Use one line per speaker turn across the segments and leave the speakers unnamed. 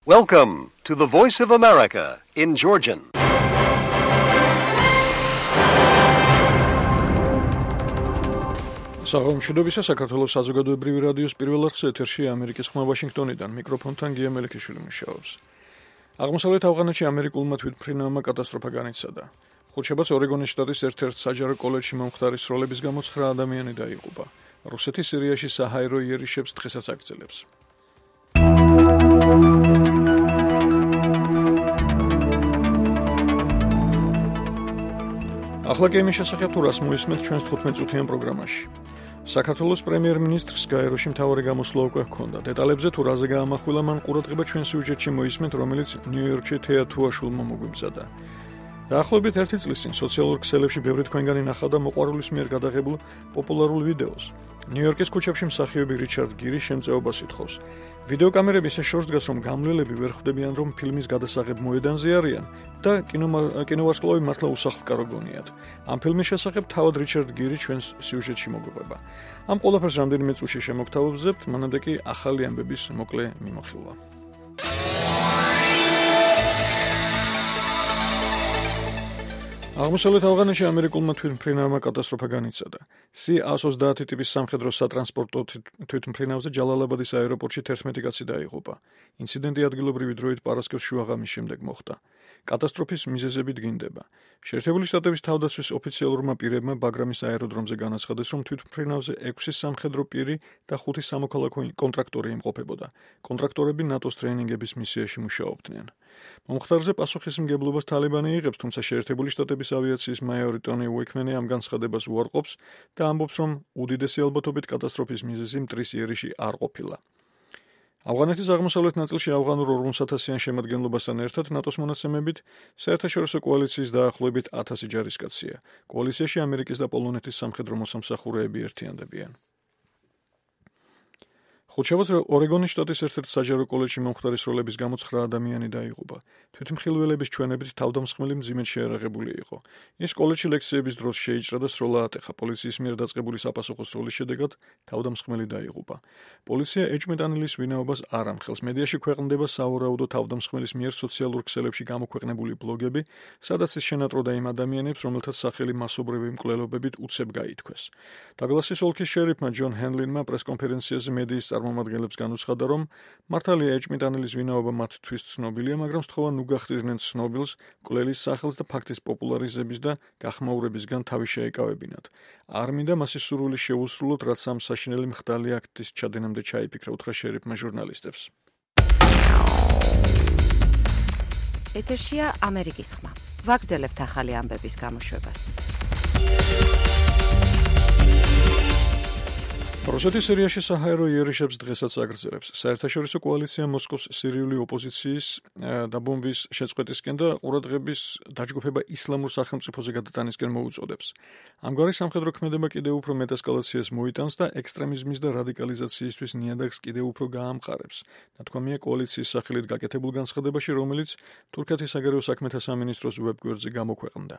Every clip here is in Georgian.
Welcome to the Voice of America in Georgian.
საღამოშიდობისა საქართველოს საზოგადოებრივი რადიოს პირველ არხზე ეთერში ამერიკის ხმა ვაშინგტონიდან მიკროფონთან გია მელიქიშვილი მუშაობს. აღმოსავლეთ ავღანეთში ამერიკულმა თვითმფრინავმა კატასტროფა განიცადა. ხუთშაბათს ორეგონის შტატის ერთ-ერთ საჯარო კოლეჯში მომხდარი სროლების გამო 9 ადამიანი დაიღუპა. რუსეთი სირიაში საჰაერო იერიშებს დღესაც აგრძელებს. ახლა კი იმის შესახებ თუ რას მოისმენთ ჩვენს 15 წუთიან პროგრამაში. საქართველოს პრემიერ-მინისტრს გაეროში მთავარი გამოსვლა უკვე ჰქონდა. დეტალებზე თუ რაზე გაამახვილა მან ყურადღება ჩვენ სიუჟეტში მოისმენთ, რომელიც ნიუ-იორკში თეა თუაშულმა მოგვიმზადა. დაახლოებით 1 წლის წინ სოციალურ ქსელებში ბევრი თქვენგანი ნახავდა მოყვარულის მიერ გადაღებულ პოპულარულ ვიდეოს. ნიუ-იორკის ქუჩებში მსახიობი რიჩარდ გირი შემწეობას ითხოვს. ვიდეოკამერები ისე შორს დგას, რომ გამლელები ვერ ხვდებიან, რომ ფილმის გადასაღებ მოედანზე არიან და კინოვარსკვლავი მართლა უსახლკარო გონიათ. ამ ფილმის შესახებ თავად რიჩარდ გირი ჩვენს სიუჟეტში მოგვიყვება. ამ ყველაფერს რამდენიმე წუთში შემოგთავაზებთ, მანამდე კი ახალი ამბების მოკლე მიმოხილვა. აღმოსავლეთ ავღანეთში ამერიკულმა თვითმფრინავმა კატასტროფა განიცადა. C-130 ტიპის სამხედრო სატრანსპორტო თვითმფრინავზე ჯალალაბადის აეროპორტში 11 კაცი დაიღუპა. ინციდენტი ადგილობრივი დროით პარასკევს შუაღამის შემდეგ მოხდა. კატასტროფის მიზეზები დგინდება. შეერთებული შტატების თავდაცვის ოფიციალურმა პირებმა ბაგრამის აეროდრომზე განაცხადეს, რომ თვითმფრინავზე 6 სამხედრო პირი და 5 სამოქალაქო კონტრაქტორი იმყოფებოდა. კონტრაქტორები ნატოს ტრეინინგების მისიაში მუშაობდნენ. მომხდარზე პასუხისმგებლობას თალიბანი იღებს, თუმცა შეერთებული შტატების ავიაციის მაიორი ტონი უეიქმენი ამ განცხადებას უარყოფს და ამბობს, რომ უდიდესი ალბათობით კატასტროფის მიზეზი მტრის იერიში არ ყოფილა. ავღანეთის აღმოსავლეთ ნაწილში ავღანურ 40,000-იან შემადგენლობასთან ერთად ნატოს მონაცემებით საერთაშორისო კოალიციის დაახლოებით 1000 ჯარისკაცია. კოალიციაში ამერიკის და პოლონეთის სამხედრო მოსამსახურეები ერთიანდებიან. ხუთშაბათს ორეგონის შტატის ერთ-ერთ საჯარო კოლეჯში მომხდარი სროლების გამო 9 ადამიანი დაიღუპა. თვითმხილველების ჩვენებით თავდამსხმელი მძიმედ შეარაღებული იყო. ის კოლეჯში ლექციების დროს შეიჭრა და სროლა ატეხა. პოლიციის მიერ დაწყებული საპასუხო სროლის შედეგად თავდამსხმელი დაიღუპა. პოლიცია ეჭვმეტანილის ვინაობას არ ამხელს. მედიაში ქვეყნდება სავარაუდო თავდამსხმელის მიერ სოციალურ ქსელებში გამოქვეყნებული ბლოგები, სადაც ის შენატროდა იმ ადამიანებს, რომელთაც სახელი მასობრივი მკვლელობებით უცებ გაითქვეს. დაგლასის ოლქის შერიფმა ჯონ ჰენლინმა პრესკონფერენციაზე მედიის წარმომადგენლებს განუცხადა, რომ მართალია ეჭვმიტანილის ვინაობა მათთვის ცნობილია, მაგრამ სთხოვა ნუ გახდიდნენ ცნობილს, მკვლელის სახელს და ფაქტის პოპულარიზების და გახმაურებისგან თავი შეეკავებინათ. არ მინდა მასის სურვილი შეუსრულოთ, რაც ამ საშინელი მხდალი აქტის ჩადენამდე ჩაიფიქრა, უთხრა შერიფმა ჟურნალისტებს.
ეთერშია ამერიკის ხმა. ვაგრძელებთ ახალი ამბების გამოშვებას.
რუსეთი სირიაში საჰაერო იერიშებს დღესაც აგრძელებს. საერთაშორისო კოალიცია მოსკოვს სირიული ოპოზიციის და ბომბის შეწყვეტისკენ და ყურადღების დაჯგუფება ისლამურ სახელმწიფოზე გადატანისკენ მოუწოდებს. ამგვარი სამხედრო ქმედება კიდევ უფრო მეტ ესკალაციას მოიტანს და ექსტრემიზმის და რადიკალიზაციისთვის ნიადაგს კიდევ უფრო გაამყარებს. ნათქვამია კოალიციის სახელით გაკეთებულ განცხადებაში, რომელიც თურქეთის საგარეო საქმეთა სამინისტროს ვებგვერდზე გამოქვეყნდა.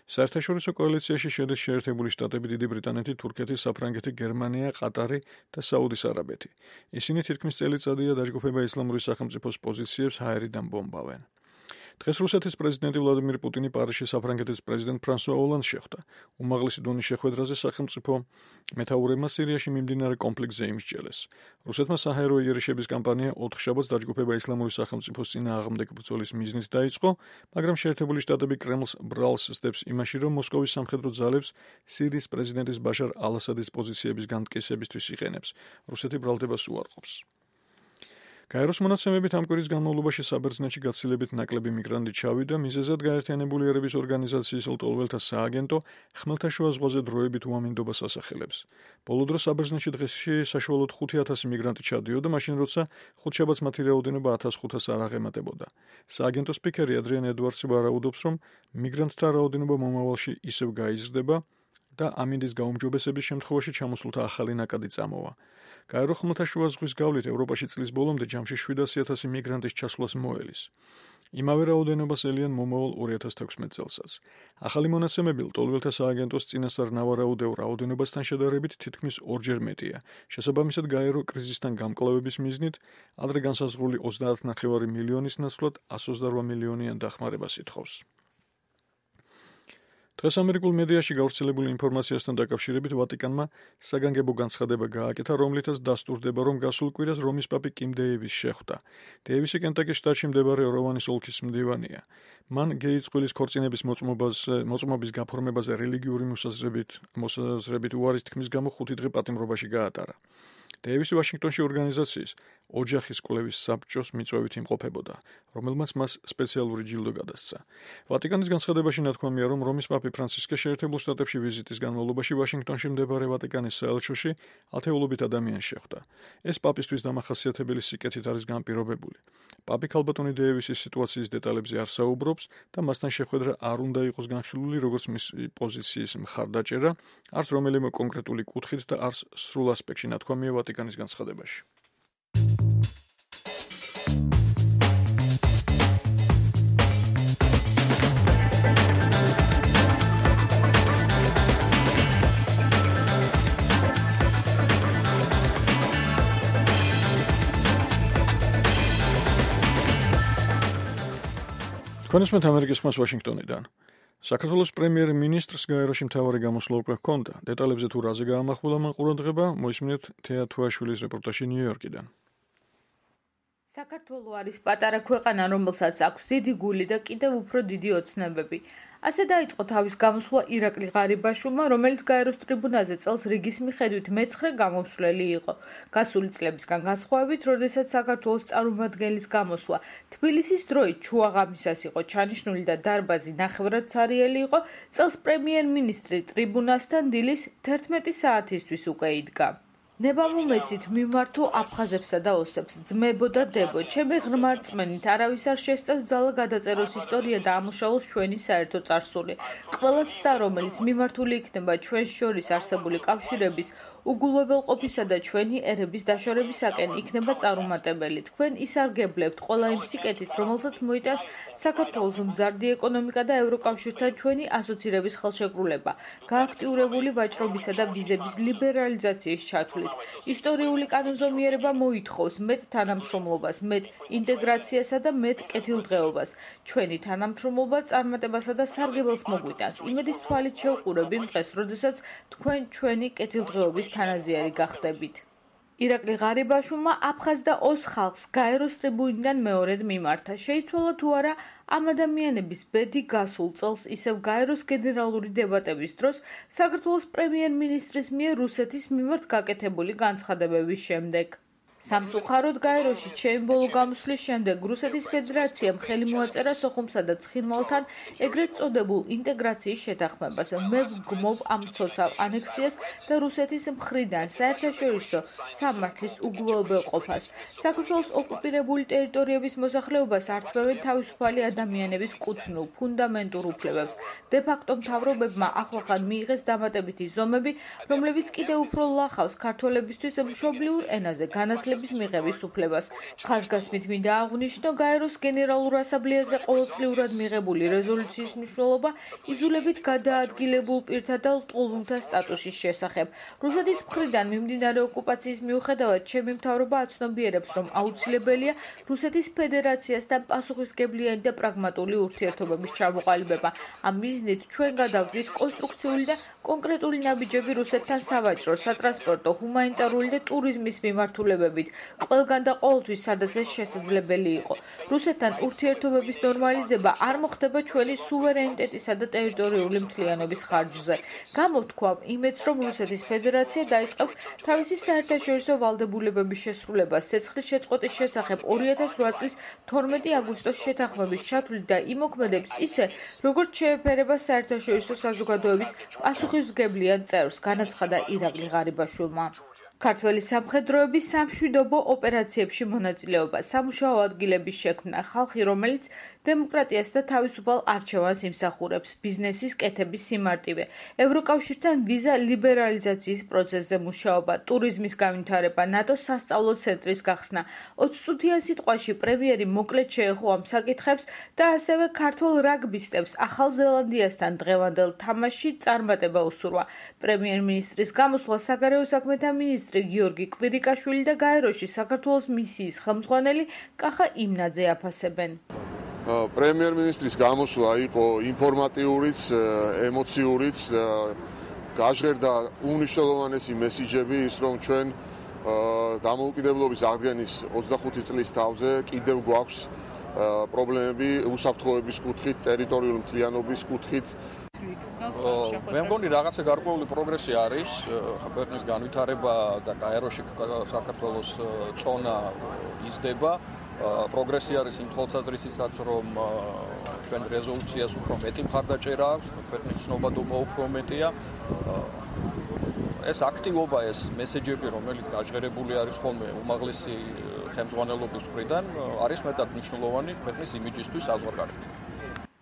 საერთაშორისო კოალიციაში შედის შეერთებული შტატები, დიდი ბრიტანეთი, თურქეთი, საფრანგეთი, გერმანია, ყატარი და საუდის არაბეთი. ისინი თითქმის წელიწადია დაჯგუფება ისლამური სახელმწიფოს პოზიციებს ჰაერიდან ბომბავენ. დღეს რუსეთის პრეზიდენტი ვლადიმირ პუტინი პარიზში საფრანგეთის პრეზიდენტ ფრანსუა ოლანდს შეხვდა. უმაღლესი დონის შეხვედრაზე სახელმწიფო მეთაურებმა სირიაში მიმდინარე კონფლიქტზე იმსჯელეს. რუსეთმა საჰაერო იერიშების კამპანია 4 შაბათს დაჯგუფება ისლამური სახელმწიფოს წინააღმდეგ ბრძოლის მიზნით დაიწყო, მაგრამ შეერთებული შტატები კრემლს ბრალს სდებს იმაში, რომ მოსკოვის სამხედრო ძალებს სირიის პრეზიდენტის ბაშარ ალ-ასადის პოზიციების განმტკიცებისთვის იყენებს. რუსეთი ბრალდებას უარყოფს. გაეროს მონაცემებით ამ კვირის განმავლობაში საბერძნეთში გაცილებით ნაკლები მიგრანტი ჩავიდა, მიზეზად გაერთიანებული ერების ორგანიზაციის ლტოლველთა სააგენტო ხმელთაშუა ზღვაზე დროებით უამინდობას ასახელებს. ბოლო დროს საბერძნეთში დღეში საშუალოდ 5,000 მიგრანტი ჩადიოდა, მაშინ როცა ხუთშაბათს მათი რაოდენობა 1500-ს არ აღემატებოდა. სააგენტოს სპიკერი ადრიან ედვარდსი ვარაუდობს, რომ მიგრანტთა რაოდენობა მომავალში ისევ გაიზრდება და ამინდის გაუმჯობესების შემთხვევაში ჩამოსულთა ახალი ნაკადი წამოვა. გაერო ხმელთაშუა ზღვის გავლით ევროპაში წლის ბოლომდე ჯამში 700,000 მიგრანტის ჩასვლას მოელის. იმავე რაოდენობას ელიან მომავალ 2016 წელსაც. ახალი მონაცემები ლტოლვილთა სააგენტოს წინასწარ ნავარაუდეულ რაოდენობასთან შედარებით თითქმის ორჯერ მეტია. შესაბამისად, გაერო კრიზისთან გამკლავების მიზნით ადრე განსაზღვრული 30.9 მილიონის ნაცვლად 128 მილიონიან დახმარებას ითხოვს. დღეს ამერიკულ მედიაში გავრცელებული ინფორმაციასთან დაკავშირებით ვატიკანმა საგანგებო განცხადება გააკეთა, რომლითაც დასტურდება, რომ გასულ კვირას რომის პაპი კიმ დეივისი შეხვდა. დეივისი კენტაკის შტატში მდებარე როვანის ოლქის მდივანია. მან გეის წყვილის ქორწინების მოწმობის გაფორმებაზე რელიგიური მოსაზრებით უარის თქმის გამო 5 დღე პატიმრობაში გაატარა. დეივისი ვაშინგტონში ორგანიზაციის ოჯახის კვლევის საბჭოს მიწვევით იმყოფებოდა, რომელმაც მას სპეციალური ჯილდო გადასცა. ვატიკანის განცხადებაში ნათქვამია, რომ რომის პაპი ფრანცისკე შეერთებულ შტატებში ვიზიტის განმავლობაში ვაშინგტონში მდებარე ვატიკანის საელჩოში ათეულობით ადამიანს შეხვდა. ეს პაპისთვის დამახასიათებელი სიკეთით არის განპირობებული. პაპი ქალბატონი დეივისის სიტუაციის დეტალებზე არ საუბრობს და მასთან შეხვედრა არ უნდა იყოს განხილული როგორც მის პოზიციის მხარდაჭერა, არც რომელიმე კონკრეტული კუთხით და არც სრულ ასპექტში ნათქვამია ვატიკანის განცხადებაში. თქვენისმეთ ამერიკის ხმას ვაშინგტონიდან. საქართველოს პრემიერ-მინისტრს გაეროში მთავარი გამოსვლა უკვე ჰქონდა. დეტალებზე თუ რაზე გაამახვილა მან ყურადღება, მოისმინეთ თეა თუაშვილის რეპორტაჟი ნიუ-იორკიდან.
საქართველო არის პატარა ქვეყანა, რომელსაც აქვს დიდი გული და კიდევ უფრო დიდი ოცნებები. ასე დაიწყო თავის გამოსვლა ირაკლი ღარიბაშვილმა, რომელიც გაეროს ტრიბუნაზე წელს რიგის მიხედვით მე-9 გამომცვლელი იყო. გასული წლებისგან განსხვავებით, როდესაც საქართველოს წარმომადგენლის გამოსვლა თბილისის დროით ჩუაღამისას იყო ჩანიშნული და დარბაზი ნახევრად ცარიელი იყო, წელს პრემიერ-მინისტრი ტრიბუნასთან დილის 11 საათისთვის უკვე იდგა. ნებამომეცით მიმართო აფხაზებსა და ოსებს, ძმებო და დებო, ჩემი ღრმა რწმენით არავის არ შესწევს ძალა გადაწეროს ისტორია და ამუშავოს ჩვენი საერთო წარსული. ყველა ცდა, რომელიც მიმართული იქნება ჩვენს შორის არსებული კავშირების უგულებელყოფისა და ჩვენი ერების დაშორებისაკენ იქნება წარუმატებელი. თქვენ ისარგებლებთ ყველა იმ სიკეთით, რომელსაც მოიტანს საქართველოს მზარდი ეკონომიკა და ევროკავშირთან ჩვენი ასოცირების ხელშეკრულება, გააქტიურებული ვაჭრობისა და ვიზების ლიბერალიზაციის ჩათვლით. ისტორიული კანონზომიერება მოითხოვს მეტ თანამშრომლობას, მეტ ინტეგრაციასა და მეტ კეთილდღეობას. ჩვენი თანამშრომლობა წარმატებასა და სარგებელს მოგვიტანს. იმედის თვალით შევყურებ იმ დღეს, როდესაც თქვენ ჩვენი კეთილდღეობის თანაზიერი გახდებით. ირაკლი ღარიბაშვილმა აფხაზ და ოს ხალხს გაეროს ტრიბუნიდან მეორედ მიმართა. შეიცვალა თუ არა ამ ადამიანების ბედი გასულ წელს ისევ გაეროს გენერალური დებატების დროს საქართველოს პრემიერ-მინისტრის მიერ რუსეთის მიმართ გაკეთებული განცხადებების შემდეგ. სამწუხაროდ გაეროში ჩემი ბოლო გამოსვლის შემდეგ რუსეთის ფედერაციამ ხელი მოაწერა სოხუმსა და ცხინვალთან ეგრეთ წოდებულ ინტეგრაციის შეთანხმებას. მე ვგმობ ამ ცოცავ ანექსიას და რუსეთის მხრიდან საერთაშორისო სამართლის უგულებელყოფას. საქართველოს ოკუპირებული ტერიტორიების მოსახლეობას ართმევენ თავისუფალი ადამიანების კუთვნილ ფუნდამენტურ უფლებებს. დე-ფაქტო მთავრობებმა ახლახან მიიღეს დამატებითი ზომები, რომლებიც კიდევ უფრო ლახავს ქართველებისთვის მშობლიურ ენაზე განათლების მიღების უფლებას. ხაზგასმით მინდა აღვნიშნო, გაეროს გენერალურ ასამბლეაზე ყოველწლიურად მიღებული რეზოლუციის მნიშვნელობა იძულებით გადაადგილებულ პირთა და ლტოლვილთა სტატუსის შესახებ. რუსეთის მხრიდან მიმდინარე ოკუპაციის მიუხედავად, ჩემი მთავრობა აცნობიერებს, რომ აუცილებელია რუსეთის ფედერაციასთან პასუხისმგებლიანი და პრაგმატული ურთიერთობების ჩამოყალიბება. ამ მიზნით ჩვენ გადავდგით კონსტრუქციული და კონკრეტული ნაბიჯები რუსეთთან სავაჭრო, სატრანსპორტო, ჰუმანიტარული და ტურიზმის მიმართულებებით. ყველგან და ყოველთვის, სადაც ეს შესაძლებელი იყო. რუსეთთან ურთიერთობების ნორმალიზება არ მოხდება ჩვენი სუვერენიტეტისა და ტერიტორიული მთლიანობის ხარჯზე. გამოვთქვამ იმედს, რომ რუსეთის ფედერაცია დაიწყებს თავისი საერთაშორისო ვალდებულებების შესრულებას ცეცხლის შეწყვეტის შესახებ 2008 წლის 12 აგვისტოს შეთანხმების ჩათვლით და იმოქმედებს ისე, როგორც შეეფერება საერთაშორისო საზოგადოების პასუხისმგებლიან წევრს, განაცხადა ირაკლი ღარიბაშვილმა. ქართველი სამხედროების სამშვიდობო ოპერაციებში მონაწილეობა, სამუშაო ადგილების შექმნა, ხალხი, რომელიც დემოკრატიას და თავისუფალ არჩევანს იმსახურებს, ბიზნესის კეთების სიმარტივე, ევროკავშირთან ვიზა ლიბერალიზაციის პროცესზე მუშაობა, ტურიზმის განვითარება, ნატოს სასწავლო ცენტრის გახსნა. 20 წუთიან სიტყვაში პრემიერი მოკლედ შეეხო ამ საკითხებს და ასევე ქართულ რაგბისტებს ახალ ზელანდიასთან დღევანდელ თამაშში წარმატება უსურვა. პრემიერ-მინისტრის გამოსვლა საგარეო საქმეთა მინისტრი გიორგი კვირიკაშვილი და გაეროში საქართველოს მისიის ხელმძღვანელი კახა იმნაძე აფასებენ.
პრემიერ-მინისტრის გამოსვლა იყო ინფორმატიურიც, ემოციურიც, გაჟღერდა უნიშნელოვანესი მესიჯები ის, რომ ჩვენ დამოუკიდებლობის აღდგენის 25 წლის თავზე კიდევ გვაქვს პრობლემები უსაფრთხოების კუთხით, ტერიტორიული მთლიანობის კუთხით.
მე მგონი რაღაცა გარკვეული პროგრესი არის, ქვეყნის განვითარება და გაეროში საქართველოს წონა იზრდება. პროგრესი არის იმ თვალსაზრისითაც, რომ ჩვენ რეზოლუციას უფრო მეტი მხარდაჭერა აქვს, ქვეყნის ცნობადობა უფრო მეტია. ეს აქტივობა, ეს მესეჯები, რომელიც გაჟღერებული არის ხოლმე უმაღლესი ხელმძღვანელობის მხრიდან, არის მეტად მნიშვნელოვანი ქვეყნის იმიჯისთვის საზღვარგარეთ.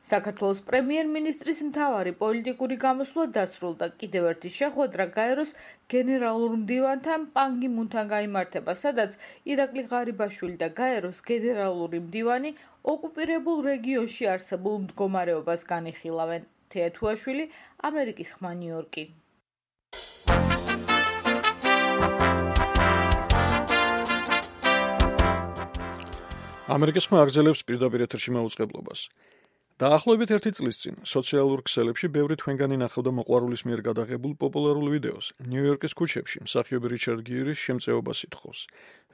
საქართველოს პრემიერ-მინისტრის მთავარი პოლიტიკური გამოსვლა დასრულდა. კიდევ ერთი შეხვედრა გაეროს გენერალურ მდივანთან პან გი მუნთან გაიმართება, სადაც ირაკლი ღარიბაშვილი და გაეროს გენერალური მდივანი ოკუპირებულ რეგიონში არსებულ მდგომარეობას განიხილავენ. თეა თუაშვილი, ამერიკის ხმა, ნიუ-იორკი.
ამერიკის ხმა აგრძელებს პირდაპირ ეთერში მაუწყებლობას. დაახლოებით 1 წლის წინ სოციალურ ქსელებში ბევრი თქვენგანი ნახავდა მოყვარულის მიერ გადაღებულ პოპულარულ ვიდეოს. ნიუ-იორკის ქუჩებში მსახიობი რიჩარდ გირის შემწეობას ითხოვს.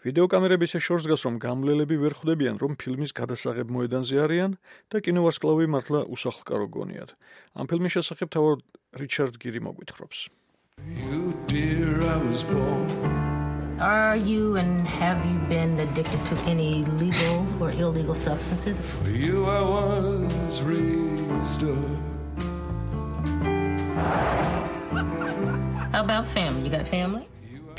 ვიდეოკამერები ისე შორს დგას, რომ გამლელები ვერ ხვდებიან, რომ ფილმის გადასაღებ მოედანზე არიან და კინოვარსკვლავი მართლა უსახლკარო გონიათ. ამ ფილმის შესახებ თავად რიჩარდ გირი მოგვითხრობს.
Are you and have you been addicted to any legal or illegal substances?
For you I was raised up.
How about family? You got family?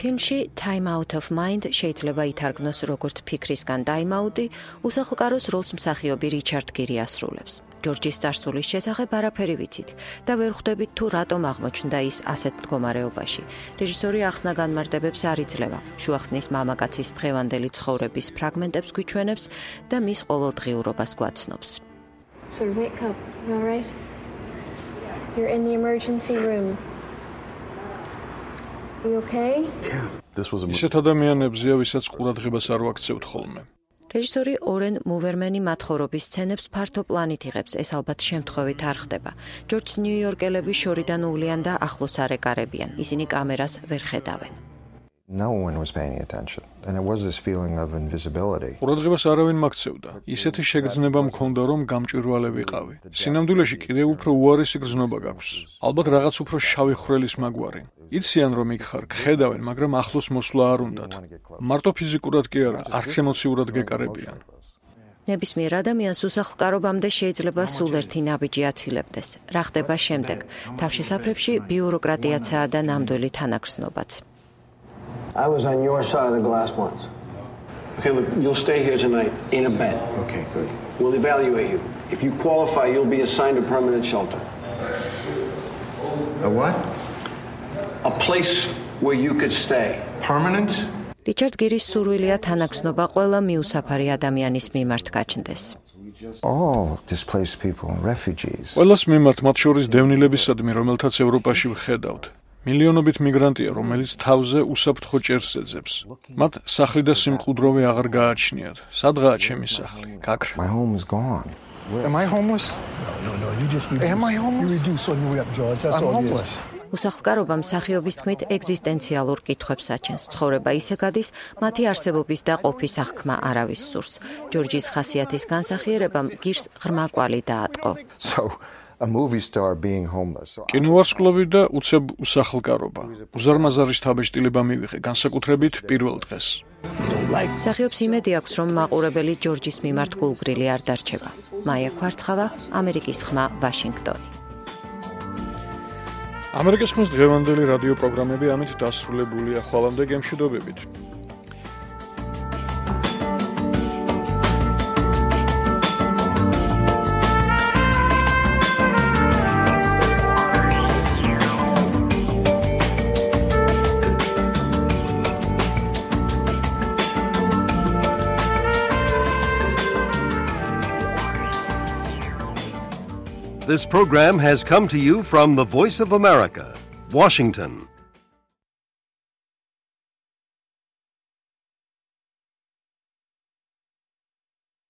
ფილმში Time Out of Mind შეიძლება ითარგმნოს როგორც ფიქრისგან დაიმაუტი, უსახლკაროს როლს მსახიობი რიჩარდ გირი ასრულებს. ჯორჯის წარსულის შესახებ არაფერი ვიცით და ვერ ხვდებით თუ რატომ აღმოჩნდა ის ასეთ მდგომარეობაში. რეჟისორი ახსნა განმარტებებს არ იძლევა. შუახსნის მამაკაცის დღევანდელი ცხოვრების ფრაგმენტებს გვიჩვენებს და მის ყოველდღიურობას გვაცნობს.
So wake up, all right? You're in the emergency room. You okay?
ისეთ ადამიანებზეა, ვისაც ყურადღებას არ ვაქცევთ ხოლმე.
რეჟისორი ორენ მუვერმენი მათხოვრობის სცენებს ფართო პლანით იღებს, ეს ალბათ შემთხვევით არ ხდება. ჯორჯს ნიუ-იორკელები შორიდან უვლიან და ახლოს არ ეკარებიან. ისინი კამერას ვერ ხედავენ.
No one was paying attention and it was this feeling of invisibility.
ყურადღებას არავინ მაქცევდა. ისეთი შეგრძნება მქონდა, რომ გამჭვირვალე ვიყავი. სინამდვილეში კიდევ უფრო უარესი გრძნობა გაქვს. ალბათ რაღაც უფრო შავი ხვრელის მაგვარი. იციან რომ იქ ხარ, ხედავენ, მაგრამ ახლოს მოსვლა არ უნდათ. მარტო ფიზიკურად კი არა, არც ემოციურად გეკარებიან.
ნებისმიერ ადამიანს უსახლკარობამდე შეიძლება სულ ერთი ნაბიჯი აცილებდეს. რა ხდება შემდეგ? თავშესაფრებში ბიუროკრატიაცაა და ნამდვილი თანაგრძნობაც.
I was on your side of the glass once. Okay, look, you'll stay here tonight in a bed.
Okay, good.
We'll evaluate you. If you qualify, you'll be assigned a permanent shelter.
A what?
A place where you could stay.
Permanent?
რიჩარდ გირის სურვილია თანაგრძნობა ყველა მიუსაფარი ადამიანის მიმართ გაჩნდეს.
All displaced people and refugees.
ყველას მიმართ, მათ შორის დევნილებისადმი, რომელთაც ევროპაში ვხედავთ. მილიონობით მიგრანტია, რომელიც თავზე უსაფრთხო ჭერს ეძებს. მათ სახლი და სიმყუდროვე აღარ გააჩნიათ. სადღაა ჩემი სახლი? გაქრა.
My home is gone. Am I homeless?
No, you just
Am I homeless?
You reduce on your way up, George. That's
I'm
all it
homeless.
is.
უსახლკარობა მსახიობის თქმით ეგზისტენციალურ კითხვებს აჩენს. ცხოვრება ისე გადის, მათი არსებობის და ყოფის აღქმა არავის სურს. ჯორჯის ხასიათის განსახიერებამ გირს ღრმა კვალი დაატყო.
So a movie star being homeless.
კინოვარსკვლავი და უცებ უსახლკარობა. უზარმაზარი შთაბეჭდილება მივიღე, განსაკუთრებით პირველ დღეს.
მსახიობს იმედი აქვს, რომ მაყურებელი ჯორჯის მიმართ გულგრილი არ დარჩება. მაია ქვარცხავა, ამერიკის ხმა, ვაშინგტონი.
ამერიკის ხმის დღევანდელი რადიო პროგრამები ამით დასრულებულია. ხვალამდე გემშვიდობებით.
This program has come to you from the Voice of America, Washington.